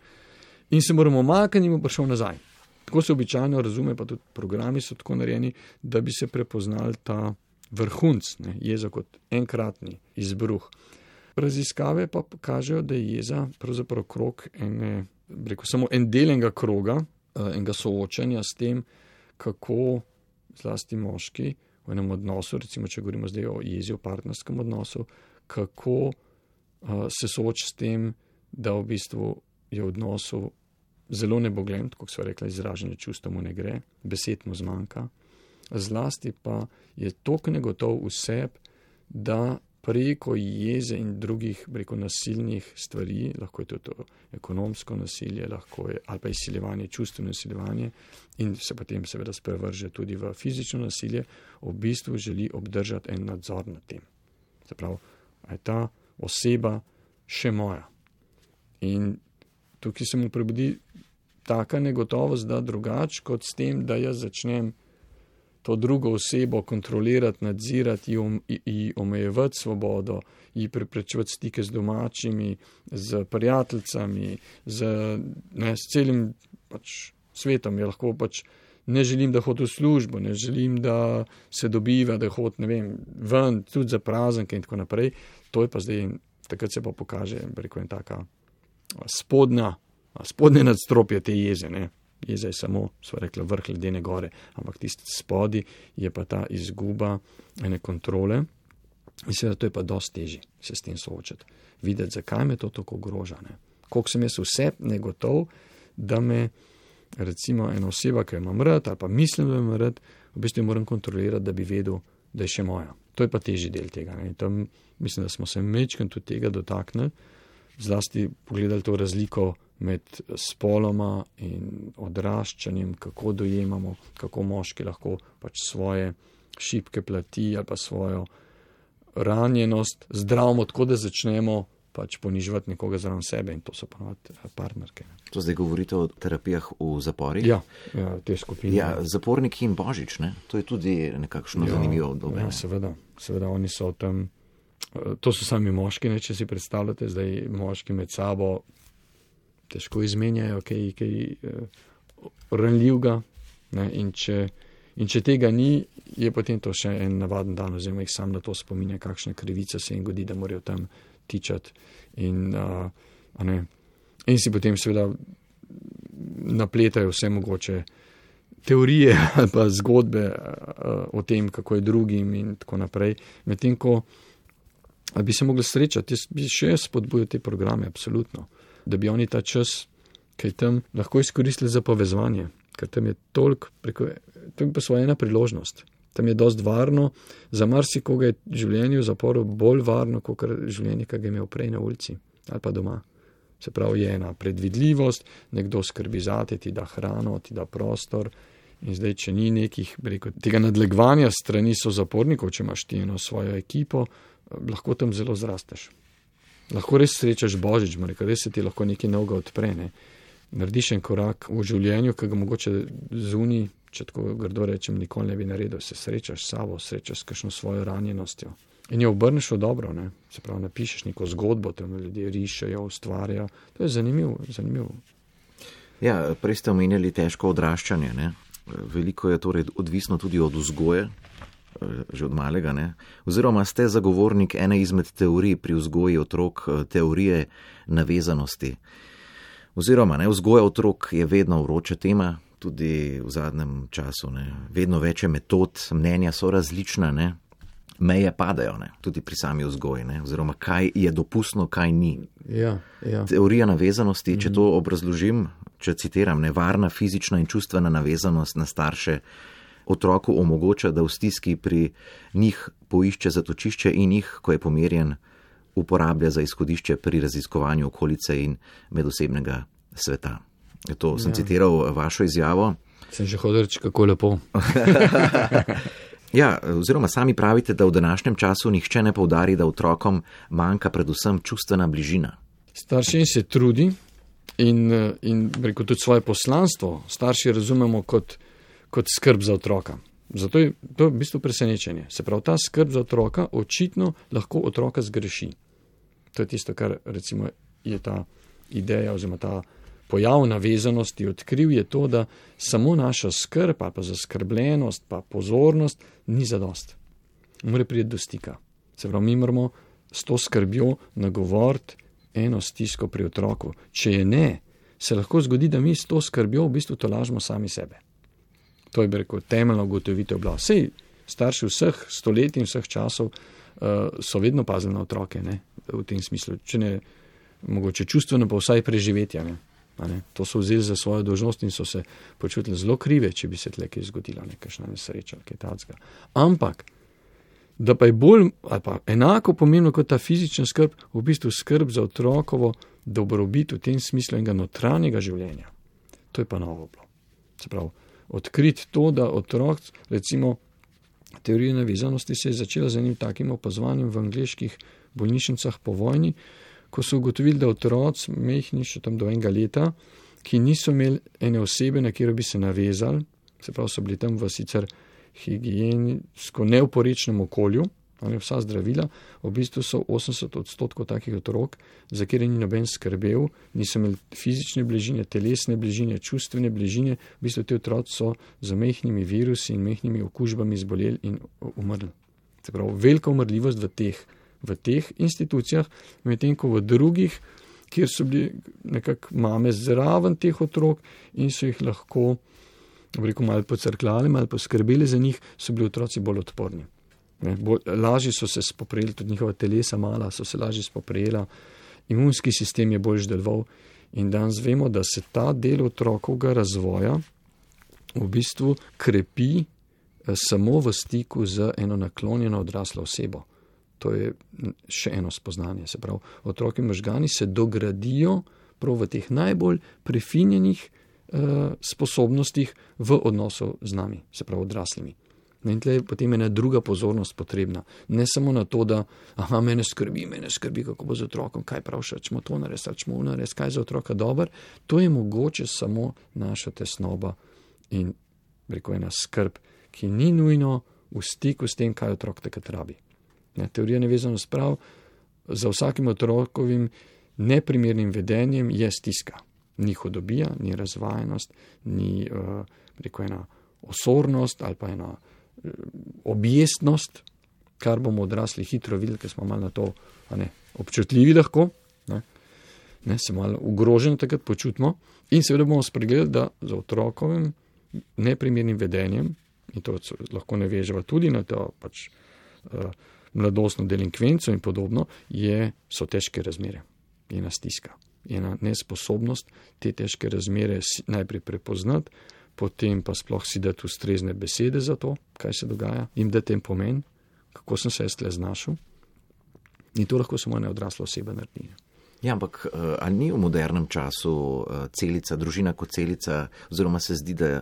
In se moramo omakniti in bo prišel nazaj. Tako se običajno razume, pa tudi programi so tako narejeni, da bi se prepoznal ta vrhunc, ne, jeza kot enkratni izbruh. Raziskave pa kažejo, da je jeza pravzaprav krog ene, rekel, samo en del enega kroga, enega soočanja s tem, kako zlasti moški v enem odnosu, recimo, če govorimo zdaj o jezi, o partnerskem odnosu, kako uh, se sooči s tem, da v bistvu je v odnosu zelo neboglen, kot so rekla, izražanje čustev mu ne gre, besed mu zmanjka, zlasti pa je toliko negotov v sebi, da preko jeze in drugih preko nasilnih stvari, lahko je to, to ekonomsko nasilje, lahko je, ali pa izsiljevanje, čustveno izsiljevanje in se potem seveda sprevrže tudi v fizično nasilje, v bistvu želi obdržati en nadzor nad tem. Se pravi, a je ta oseba še moja. In tukaj se mu prebudi taka negotovost, da drugač kot s tem, da jaz začnem to drugo osebo kontrolirati, nadzirati, ji omejevati svobodo, ji preprečevati stike z domačimi, z prijateljicami, z, ne, s celim pač svetom. Je lahko pač ne želim, da hodi v službo, ne želim, da se dobiva, da hodi, ne vem, ven, tudi za praznike in tako naprej. To je pa zdaj, takrat se pa pokaže, rekel, en taka spodnja, spodnje nadstropje te jeze, ne. Jeza je samo, sva rekla, vrh ledene gore, ampak tisti spodi je pa ta izguba ene kontrole in seveda to je pa dosti težje se s tem soočati. Videti, zakaj me to tako ogroža. Koliko sem jaz vse negotov, da me recimo ena oseba, ki jo imam rad ali pa mislim, da jo imam rad, v bistvu moram kontrolirati, da bi vedel, da je še moja. To je pa težji del tega. Ne. Tam mislim, da smo se mečkam tudi tega dotaknili, zlasti pogledali to razliko med spoloma in odraščanjem, kako dojemamo, kako moški lahko pač svoje šibke plati ali pa svojo ranjenost zdravimo tako, da začnemo pač poniževati nekoga zraven sebe in to so ponovadi partnerke. To zdaj govorite o terapijah v zaporih? Ja, ja te skupine. Ja, zaporniki in Božič, ne? To je tudi nekakšno ja, zanimivo obdobje. Ja, seveda, seveda, oni so tam, to so sami moški, ne, če si predstavljate, zdaj moški med sabo težko izmenjajo kaj, kaj uh, ranljivga, ne, in če In če tega ni, je potem to še en navaden dan, oziroma jih sam na to spominja, kakšna krivica se jim godi, da morajo tam tičati. In, uh, a ne, in si potem seveda napletajo vse mogoče teorije ali pa zgodbe uh, o tem, kako je drugim in tako naprej. Medtem ko bi se mogli srečati, jaz bi še spodbujal te programe, absolutno, da bi oni ta čas, kaj tam, lahko izkoristili za povezovanje. Ker tam je toliko, preko, to je pa svoja ena priložnost. Tam je dost varno, za marsikoga je življenje v zaporu bolj varno, kot življenje, ki ga je imel prej na ulici ali pa doma. Se pravi, je ena predvidljivost, nekdo skrbi zate, ti da hrano, ti da prostor in zdaj, če ni nekih, rekel, tega nadlegovanja strani so zapornikov, če imaš ti eno svojo ekipo, lahko tam zelo zrasteš. Lahko res srečaš Božič, rekel, res se ti lahko nekaj novega odpre, ne. Narediš en korak v življenju, ki ga mogoče zunaj, če tako grdo rečem, nikoli ne bi naredil. Se srečaš s sabo, srečaš s kakšno svojo ranjenostjo. In jo obrneš v dobro, ne. Se pravi, napišeš neko zgodbo, tam ljudje rišejo, ustvarjajo. To je zanimivo, zanimivo. Ja, prej ste omenjali težko odraščanje, ne. Veliko je torej odvisno tudi od vzgoje, že od malega, ne. Oziroma ste zagovornik ene izmed teorij pri vzgoji otrok, teorije navezanosti. Oziroma, ne, vzgoja otrok je vedno vroča tema, tudi v zadnjem času, ne. Vedno več je metod, mnenja so različna, ne. Meje padajo, ne, tudi pri sami vzgoji, ne, oziroma kaj je dopustno, kaj ni. Ja, ja. Teorija navezanosti, če to obrazložim, če citiram, ne, varna fizična in čustvena navezanost na starše otroku omogoča, da v stiski pri njih poišče zatočišče in jih, ko je pomirjen, uporablja za izhodišče pri raziskovanju okolice in medosebnega sveta. To sem ja. citiral vašo izjavo. Sem že hodil reči, kako lepo. Ja, oziroma sami pravite, da v današnjem času nihče ne poudari, da otrokom manjka predvsem čustvena bližina. Starši se trudi in, in rekel, tudi svoje poslanstvo starši razumemo kot, kot skrb za otroka. Zato je to v bistvu presenečenje. Se pravi, ta skrb za otroka očitno lahko otroka zgreši. To je tisto, kar recimo je ta ideja oziroma ta pojav navezanosti odkril, je to, da samo naša skrb ali pa zaskrbljenost pa pozornost ni zadost. Mora priti do stika. Se pravi, mi moramo s to skrbjo nagovoriti eno stisko pri otroku. Če je ne, se lahko zgodi, da mi s to skrbjo v bistvu tolažimo sami sebe. To je, bi rekel, temeljna ugotovitev bila. Sej starši vseh stoletij in vseh časov uh, so vedno pazili na otroke, ne, v tem smislu. Če ne, mogoče čustveno, pa vsaj preživetja, ne. Ne. To so vzeli za svojo dolžnost in so se počutili zelo krive, če bi se tle kaj zgodila, nekakšna nesreča, kaj tacga. Ampak, da pa je bolj, ali pa enako pomembno kot ta fizična skrb, v bistvu skrb za otrokovo dobrobit v tem smislu enega notranjega življenja. To je pa novo bilo. Se pravi, odkriti to, da otrok, recimo, teorija navezanosti se je začela z enim takim opazovanjem v angleških bolnišnicah po vojni, ko so ugotovili, da otroci, mehni še tam do enega leta, ki niso imeli ene osebe, na katero bi se navezali, se pravi, so bili tam v sicer higiensko neoporečnem okolju, ali vsa zdravila, v bistvu so osemdeset odstotkov takih otrok, za kjer ni noben skrbel, niso imeli fizične bližine, telesne bližine, čustvene bližine, v bistvu te otroci so z mehnimi virusi in mehnimi okužbami zboleli in umrli. Se pravi, velika umrljivost v teh v teh institucijah, medtem ko v drugih, kjer so bili nekako mame zraven teh otrok in so jih lahko, rekel, malo pocrkljali, malo poskrbeli za njih, so bili otroci bolj odporni. Ne, bolj, lažje so se spoprijeli, tudi njihova telesa mala so se lažje spoprijela, imunski sistem je bolj deloval in danes vemo, da se ta del otrokovega razvoja v bistvu krepi eh, samo v stiku z eno naklonjeno odraslo osebo. To je še eno spoznanje. Se pravi, otroki možgani se dogradijo prav v teh najbolj prefinjenih uh, sposobnostih v odnosu z nami, se pravi odraslimi. In tle je potem ena druga pozornost potrebna. Ne samo na to, da aha, mene skrbi, mene skrbi, kako bo z otrokom, kaj pravša, čemo to narediti, čemo narediti, kaj za otroka dober. To je mogoče samo naša tesnoba in rekel ena skrb, ki ni nujno v stiku s tem, kaj otrok takrat rabi. Ne, teorija nevezanost prav, za vsakim otrokovim neprimernim vedenjem je stiska. Ni hudobija, ni razvajenost, ni uh, rekel ena osornost ali pa ena uh, objestnost, kar bomo odrasli hitro videli, ker smo malo na to ne, občutljivi lahko, ne, ne, se malo ogroženi takrat počutimo in seveda bomo spregledali, da za otrokovim neprimernim vedenjem, in to lahko ne veževa tudi na to pač uh, mladostno delinkvenco in podobno, je, so težke razmere, je ena stiska. Ena nesposobnost te težke razmere najprej prepoznati, potem pa sploh si dati ustrezne besede za to, kaj se dogaja, jim dati en pomen, kako sem se jaz tle znašel. In to lahko samo ena odrasla oseba naredi. Ja, ampak ali ni v modernem času celica, družina kot celica, oziroma se zdi, da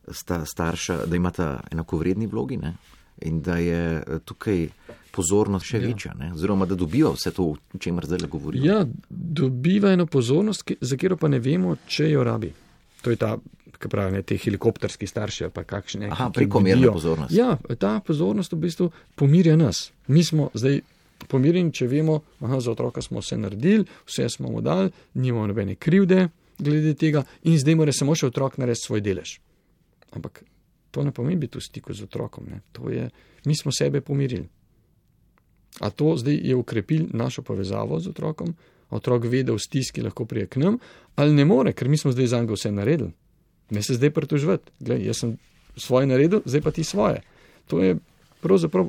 sta starša, da imata enakovredni vlogi, ne? In da je tukaj pozornost še ja. večja, ne? Oziroma da dobiva vse to, o čemer zdaj govorijo. Ja, dobiva eno pozornost, za katero pa ne vemo, če jo rabi. To je ta, kaj pravi, ne, te helikopterski starši, pa kakšne. Aha, prekomerna pozornost. Ja, ta pozornost v bistvu pomirja nas. Mi smo zdaj pomirjeni, če vemo, aha, za otroka smo vse naredili, vse smo mu dali, nimamo nobene krivde glede tega in zdaj mora samo še otrok narediti svoj delež. Ampak to ne pomeni biti v stiku z otrokom. Ne. To je, mi smo sebe pomirili. A to zdaj je ukrepil našo povezavo z otrokom, otrok ve, da v stiski lahko prije k nam, ali ne more, ker mi smo zdaj za njega vse naredili. Ne se zdaj pritoževati. Glej, jaz sem svoje naredil, zdaj pa ti svoje. To je pravzaprav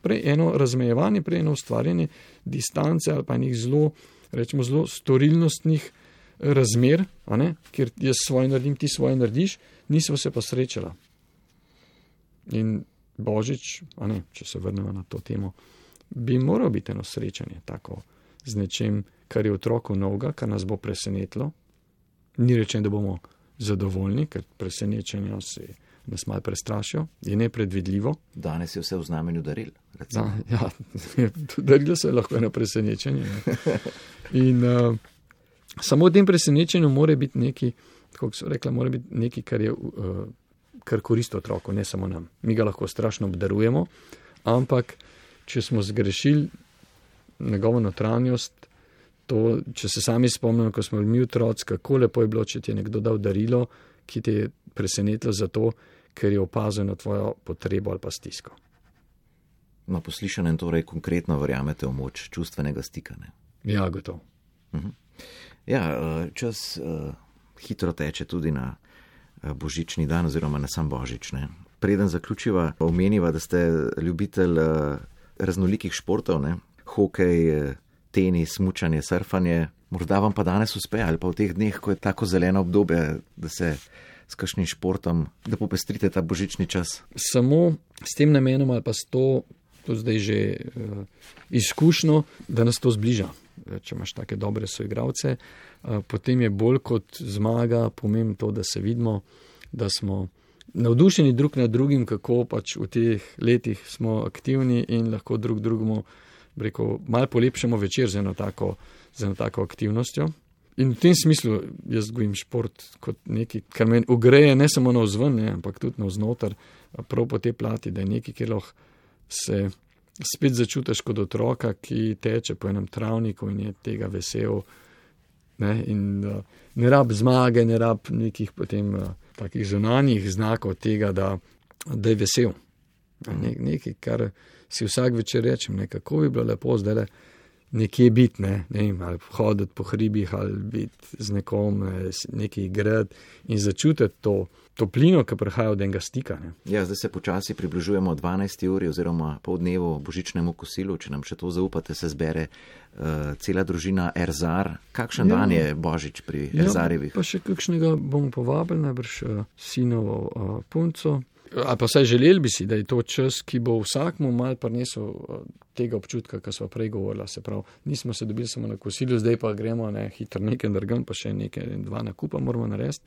prej eno razmejevanje, prej eno ustvarjanje distance ali pa enih zelo, rečemo, zelo storilnostnih razmer, a ne, kjer jaz svoje naredim, ti svoje narediš, nismo se pa srečala. In Božič, a ne, če se vrnemo na to temo, bi moral biti eno srečanje tako z nečem, kar je otroku novega, kar nas bo presenetilo. Ni rečeno, da bomo zadovoljni, ker presenečenja se nas malo prestrašijo, je nepredvidljivo. Danes je vse v znamenju daril. Da, ja, darilo se je lahko eno presenečenje. Ne. In uh, samo v tem presenečenju mora biti nekaj, kako so rekla, mora biti nekaj, kar je uh, kar koristi otroku, ne samo nam. Mi ga lahko strašno obdarujemo, ampak če smo zgrešili njegovo notranjost, to, če se sami spomnimo, ko smo bili mi otroci, kako lepo je bilo, če ti je nekdo dal darilo, ki te je presenetilo zato, ker je opazil na tvojo potrebo ali pa stisko. Na poslišanem torej konkretno verjamete v moč čustvenega stika, ne? Ja, gotovo. Uh-huh. Ja, čas uh, hitro teče tudi na božični dan oziroma na sam Božič, ne? Preden zaključiva, omeniva, da ste ljubitelj uh, raznolikih športov, ne? Hokej, tenis, smučanje, surfanje. Morda vam pa danes uspe ali pa v teh dneh, ko je tako zeleno obdobje, da se s kakšnim športom, da popestrite ta božični čas. Samo s tem namenom ali pa s to, to zdaj že uh, izkušnjo, da nas to zbliža. Če imaš take dobre soigralce, uh, potem je bolj kot zmaga pomembno to, da se vidimo, da smo navdušeni drug nad drugim, kako pač v teh letih smo aktivni in lahko drug drugemu, rekel, malo polepšamo večer z eno tako, z eno tako aktivnostjo. In v tem smislu jaz gojim šport kot nekaj, kar me ogreje ne samo na vzven, ne, ampak tudi na vznoter, prav po te plati, da je nekaj, kjer lahko se spet začutiš kot otroka, ki teče po enem travniku in je tega vesel. Ne, in uh, ne rab zmage, ne rab nekih potem uh, takih zunanjih znakov tega, da, da je vesel. Ne, nekaj, kar si vsak večer rečem, ne, kako bi bilo lepo zdaj nekje biti, ne, ne, ali hoditi po hribih, ali biti z nekom, ne, nekaj igrati in začutiti to toplino, ki prihaja od enega stika. Ne. Ja, zdaj se počasi približujemo dvanajsti uri oziroma pol dnevu božičnemu kosilu, če nam še to zaupate, se zbere uh, cela družina Erzar. Kakšen ja. dan je Božič pri ja, Erzarjevih? Pa še kakšnega bomo povabili, najbrž uh, sinovo uh, punco. Ali pa vsaj želeli bi si, da je to čas, ki bo vsakmu mal prinesel tega občutka, kar smo prej govorili. Se pravi, nismo se dobili samo na kosilu, zdaj pa gremo ne, hitro nekaj drgam, pa še nekaj dva nakupa moramo narediti.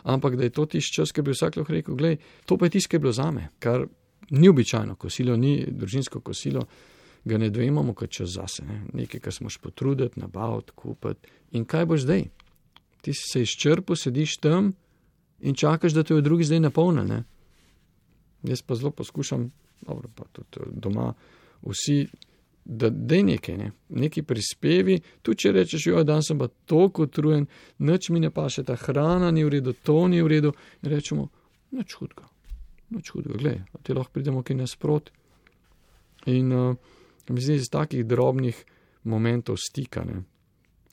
Ampak da je to tisti čas, ki bi vsak lahko rekel, glej, to pa je tisto, ki je bilo zame, kar Ni običajno kosilo, ni družinsko kosilo, ga ne dojemamo kot čas zase. Ne? Nekaj, kar smo še potruditi, nabaviti, kupiti. In kaj boš zdaj? Ti si se izčrpil, sediš tam in čakaš, da te v drugi zdaj napolne. Ne? Jaz pa zelo poskušam, dobro, pa tudi doma, vsi, da dej nekaj, ne? Neki prispevi, tu če rečeš, jo, dan sem pa toliko utrujen, nič mi ne paše, ta hrana ni v redu, to ni v redu, in rečemo, nič hudega, nič hudega, glej, ti lahko pridemo kaj nasprot. In uh, mi zdi, iz takih drobnih momentov stika, ne,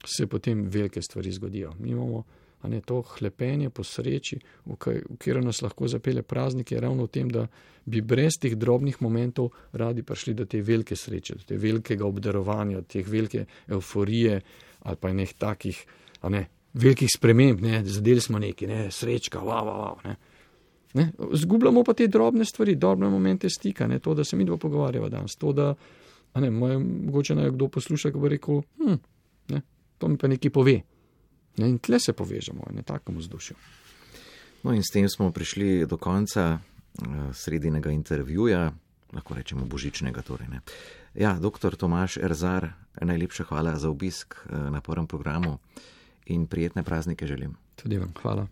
se potem velike stvari zgodijo. Mi imamo, a ne, to hlepenje po sreči, v, kaj, v kjer nas lahko zapelje praznik, je ravno v tem, da bi brez teh drobnih momentov radi prišli do te velike sreče, do te velikega obdarovanja, do te velike euforije ali pa nek takih, a ne, velikih sprememb, ne, zadeli smo neki, ne, srečka, wow, wow, wow, ne. Ne, zgubljamo pa te drobne stvari, drobne momente stika, ne, to, da se mi dva pogovarjava danes, to, da, a ne, moj, mogoče naj kdo posluša, ko bo rekel, hm, ne, to mi pa nekaj pove. Ne, in tle se povežemo, ne, takom vzdušju. No in s tem smo prišli do konca uh, sredinega intervjuja, lahko rečemo božičnega torej, ne. Ja, doktor Tomaž Erzar, najlepša hvala za obisk uh, na prvem programu in prijetne praznike želim. Tudi vam, hvala.